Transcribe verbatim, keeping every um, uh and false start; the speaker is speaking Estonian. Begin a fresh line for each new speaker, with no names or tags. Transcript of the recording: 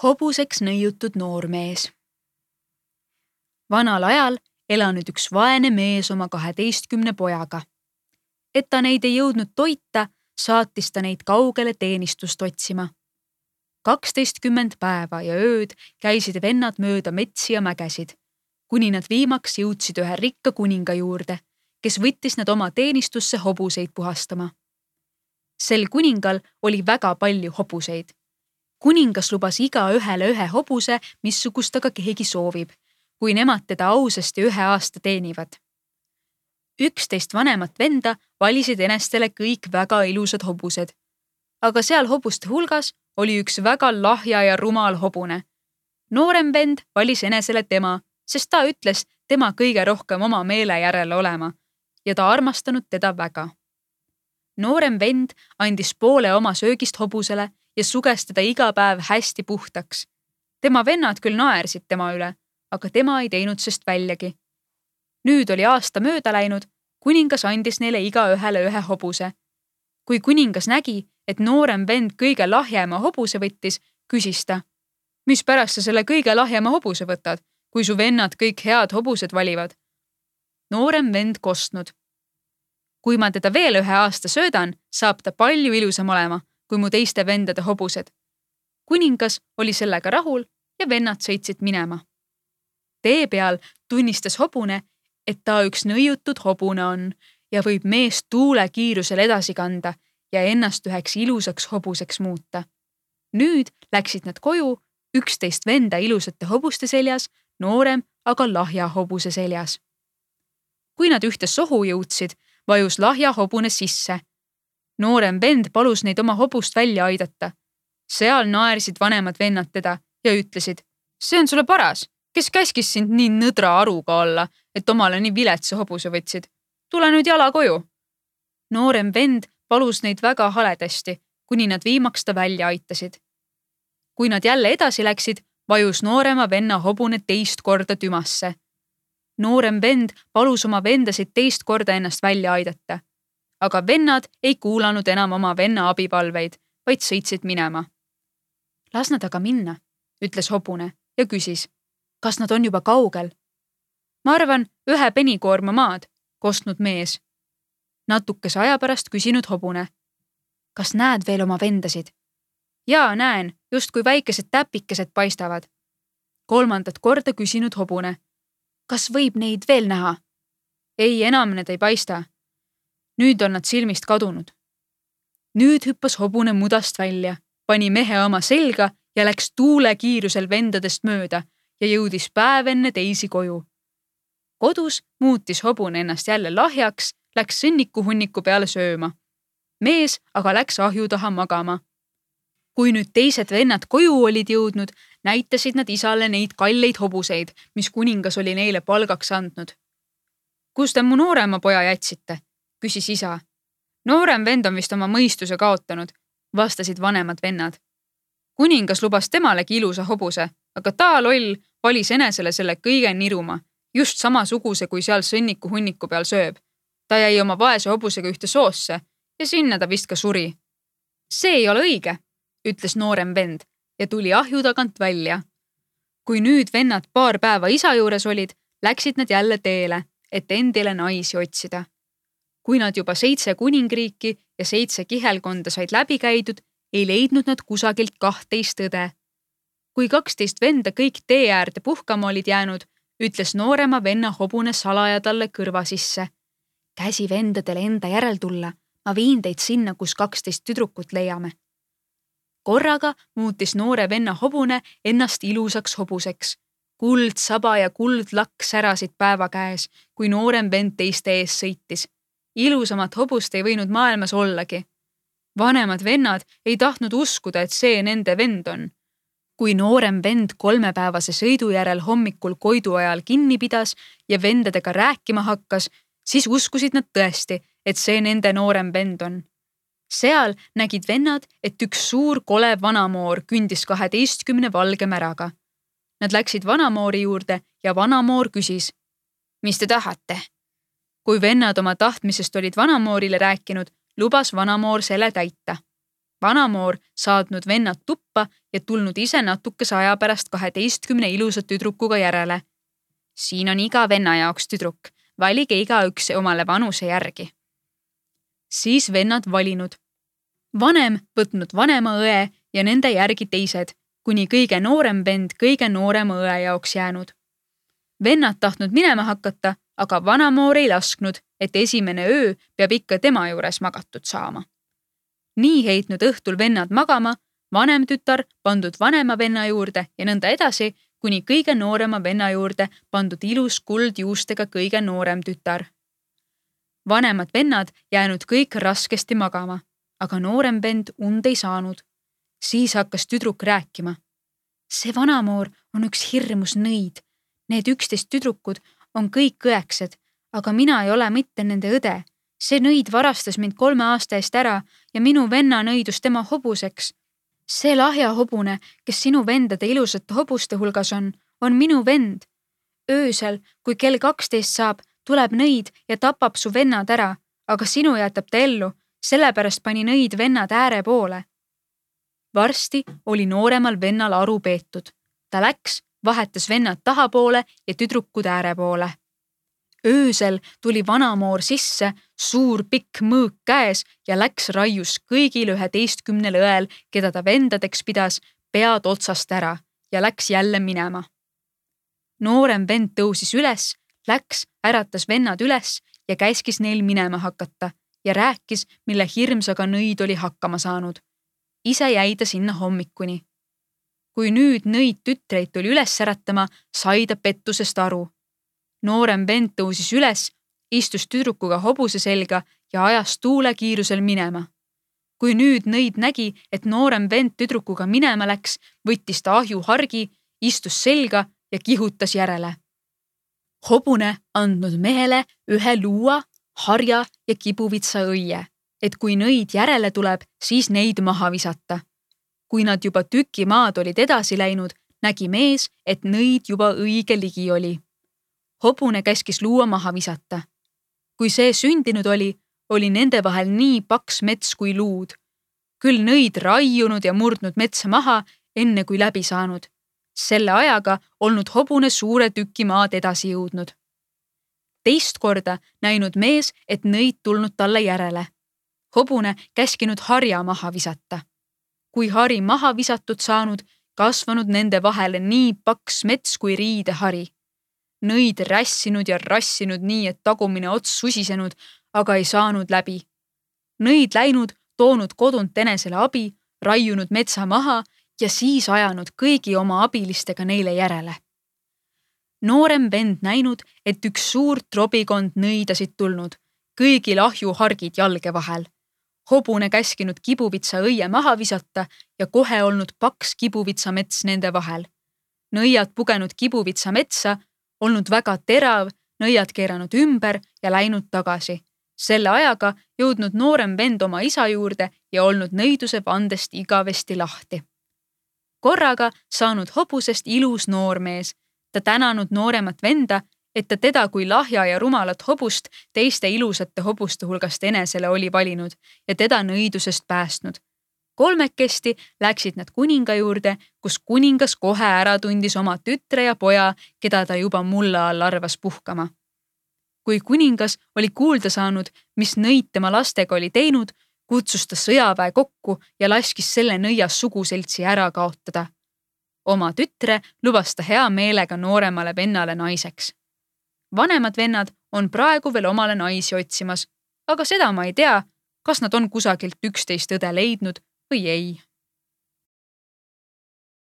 hobuseks nõiutud noormees. Vanal ajal elanud üks vaene mees oma kaheteistkümne pojaga. Et ta neid ei jõudnud toita, saatis ta neid kaugele teenistust otsima. kaksteistkümmend päeva ja ööd käisid vennad mööda metsi ja mägesid, kuni nad viimaks jõudsid ühe rikka kuninga juurde, kes võttis nad oma teenistusse hobuseid puhastama. Sel kuningal oli väga palju hobuseid. Kuningas lubas iga ühele ühe hobuse, missugust aga keegi soovib, kui nemad teda ausasti ühe aasta teenivad. Üksteist vanemat venda valisid enestele kõik väga ilusad hobused, aga seal hobuste hulgas oli üks väga lahja ja rumal hobune. Noorem vend valis enesele tema, sest ta ütles tema kõige rohkem oma meele järele olema ja ta armastanud teda väga. Noorem vend andis poole oma söögist hobusele ja suges teda iga päev hästi puhtaks. Tema vennad küll naersid tema üle, aga tema ei teinud sest väljagi. Nüüd oli aasta mööda läinud, kuningas andis neile iga ühele ühe hobuse. Kui kuningas nägi, et noorem vend kõige lahjema hobuse võttis, küsis ta, mis pärast sa selle kõige lahjema hobuse võtad, kui su vennad kõik head hobused valivad? Noorem vend kostnud. Kui ma teda veel ühe aasta söödan, saab ta palju ilusam olema, kui mu teiste vendade hobused. Kuningas oli sellega rahul ja vennad sõitsid minema. Tee peal tunnistas hobune, et ta üks nõiutud hobune on ja võib meest tuule kiirusel edasi kanda ja ennast üheks ilusaks hobuseks muuta. Nüüd läksid nad koju, üksteist venda ilusate hobuste seljas, noorem aga lahja hobuse seljas. Kui nad ühte sohu jõudsid, vajus lahja hobune sisse. Noorem vend palus neid oma hobust välja aidata. Seal naersid vanemad vennad teda ja ütlesid, see on sulle paras, kes käskis sind nii nõdra aruga olla, et omale nii viletsa hobuse võtsid. Tule nüüd jala koju. Noorem vend palus neid väga haledasti, kuni nad viimaks ta välja aitasid. Kui nad jälle edasi läksid, vajus noorema venna hobune teist korda tümasse. Noorem vend palus oma vendasid teist korda ennast välja aidata. Aga vennad ei kuulanud enam oma venna abipalveid, vaid sõitsid minema. Las nad aga minna, ütles hobune ja küsis, kas nad on juba kaugel. Ma arvan, ühe penikoorma maad, kostnud mees. Natukese aja pärast küsinud hobune. Kas näed veel oma vendasid? Jaa, näen, just kui väikesed täpikesed paistavad. Kolmandat korda küsinud hobune. Kas võib neid veel näha? Ei, enam need ei paista. Nüüd on nad silmist kadunud. Nüüd hüppas hobune mudast välja, pani mehe oma selga ja läks tuule kiirusel vendadest mööda ja jõudis päev enne teisi koju. Kodus muutis hobune ennast jälle lahjaks, läks sõnniku hunniku peale sööma. Mees aga läks ahju taha magama. Kui nüüd teised vennad koju olid jõudnud, näitasid nad isale neid kalleid hobuseid, mis kuningas oli neile palgaks andnud. Kus te mu noorema poja jätsite? Küsis isa. Noorem vend on vist oma mõistuse kaotanud, vastasid vanemad vennad. Kuningas lubas temalegi ilusa hobuse, aga ta loll valis enesele selle kõige niruma, just samasuguse, kui seal sõnniku hunniku peal sööb. Ta jäi oma vaese hobusega ühte soosse ja sinna ta vist ka suri. See ei ole õige, ütles noorem vend ja tuli ahju tagant välja. Kui nüüd vennad paar päeva isa juures olid, läksid nad jälle teele, et endile naisi otsida. Kui nad juba seitse kuningriiki ja seitse kihelkonda said läbi käidud, ei leidnud nad kusagilt kahteist õde. Kui kaksteist venda kõik tee äärde puhkama olid jäänud, ütles noorema venna hobune salaja talle kõrva sisse. Käsi vendadele enda järel tulla, ma viin teid sinna, kus kaksteist tüdrukut leiame. Korraga muutis noore venna hobune ennast ilusaks hobuseks. Kuld saba ja kuld lakk särasid päeva käes, kui noorem vend teiste ees sõitis. Ilusamat hobust ei võinud maailmas ollagi. Vanemad vennad ei tahtnud uskuda, et see nende vend on. Kui noorem vend kolmepäevase sõidu järel hommikul koidu ajal kinni pidas ja vendadega rääkima hakkas, siis uskusid nad tõesti, et see nende noorem vend on. Seal nägid vennad, et üks suur kole vanamoor kündis kaheteistkümne valge märaga. Nad läksid vanamoori juurde ja vanamoor küsis, mis te tahate? Kui vennad oma tahtmisest olid vanamoorile rääkinud, lubas vanamoor selle täita. vanamoor saatnud vennad tuppa ja tulnud ise natukese aja pärast kaheteistkümne ilusa tüdrukuga järele. Siin on iga venna jaoks tüdruk, valige igaüks omale vanuse järgi. Siis vennad valinud. Vanem võtnud vanema õe ja nende järgi teised, kuni kõige noorem vend kõige noorema õe jaoks jäänud. Vennad tahtnud minema hakata, aga vanamoor ei lasknud, et esimene öö peab ikka tema juures magatud saama. Nii heitnud õhtul vennad magama, vanem tütar pandud vanema venna juurde ja nõnda edasi, kuni kõige noorema venna juurde pandud ilus kuldjuustega kõige noorem tütar. Vanemad vennad jäänud kõik raskesti magama, aga noorem vend und ei saanud. Siis hakkas tüdruk rääkima. See vanamoor on üks hirmus nõid. Need üksteist tüdrukud on kõik õeksed, aga mina ei ole mitte nende õde. See nõid varastas mind kolme aasta eest ära ja minu venna nõidus tema hobuseks. See lahja hobune, kes sinu vendade ilusate hobuste hulgas on, on minu vend. Öösel, kui kell kaksteist saab, tuleb nõid ja tapab su vennad ära, aga sinu jätab ta ellu, sellepärast pani nõid vennad ääre poole. Varsti oli nooremal vennal aru peetud. Ta läks, vahetas vennad tahapoole ja tüdrukud ääre poole. Öösel tuli vanamoor sisse, suur pikk mõõk käes ja läks raius kõigil üheteistkümnel õel, keda ta vendadeks pidas, pead otsast ära ja läks jälle minema. Noorem vend tõusis üles, läks, äratas vennad üles ja käskis neil minema hakata ja rääkis, mille hirmsaga nõid oli hakkama saanud. Ise jäi ta sinna hommikuni. Kui nüüd nõid tütreid tuli üles äratama, sai ta pettusest aru. Noorem vend tõusis üles, istus tüdrukuga hobuse selga ja ajas tuule kiirusel minema. Kui nüüd nõid nägi, et noorem vend tüdrukuga minema läks, võttis ta ahju hargi, istus selga ja kihutas järele. Hobune andnud mehele ühe luua, harja ja kibuvitsa õie, et kui nõid järele tuleb, siis neid maha visata. Kui nad juba tüki maad olid edasi läinud, nägi mees, et nõid juba õige ligi oli. Hobune käskis luua maha visata. Kui see sündinud oli, oli nende vahel nii paks mets kui luud. Küll nõid raiunud ja murdnud metsa maha, enne kui läbi saanud. Selle ajaga olnud hobune suure tüki maad edasi jõudnud. Teist korda näinud mees, et nõid tulnud talle järele. Hobune käskinud harja maha visata. Kui hari maha visatud saanud, kasvanud nende vahele nii paks mets kui riidehari. Nõid rässinud ja rassinud nii, et tagumine ots susisenud, aga ei saanud läbi. Nõid läinud, toonud kodunt enesele abi, raiunud metsa maha ja siis ajanud kõigi oma abilistega neile järele. Noorem vend näinud, et üks suur trobikond nõidasid tulnud, kõigil ahju hargid jalge vahel. Hobune käskinud kibuvitsa õie maha visata ja kohe olnud paks kibuvitsa mets nende vahel. Nõiad pugenud kibuvitsa metsa, olnud väga terav, nõiad keeranud ümber ja läinud tagasi. Selle ajaga jõudnud noorem vend oma isa juurde ja olnud nõiduse vandest igavesti lahti. Korraga saanud hobusest ilus noormees. Ta tänanud nooremat venda, et ta teda kui lahja ja rumalat hobust teiste ilusate hobuste hulgast enesele oli valinud ja teda nõidusest päästnud. Kolmekesti läksid nad kuninga juurde, kus kuningas kohe ära tundis oma tütre ja poja, keda ta juba mulla all arvas puhkama. Kui kuningas oli kuulda saanud, mis nõid tema lastega oli teinud, kutsus ta sõjaväe kokku ja laskis selle nõias suguseltsi ära kaotada. Oma tütre lubas ta hea meelega nooremale vennale naiseks. Vanemad vennad on praegu veel omale naisi otsimas, aga seda ma ei tea, kas nad on kusagilt üksteist õde leidnud või ei.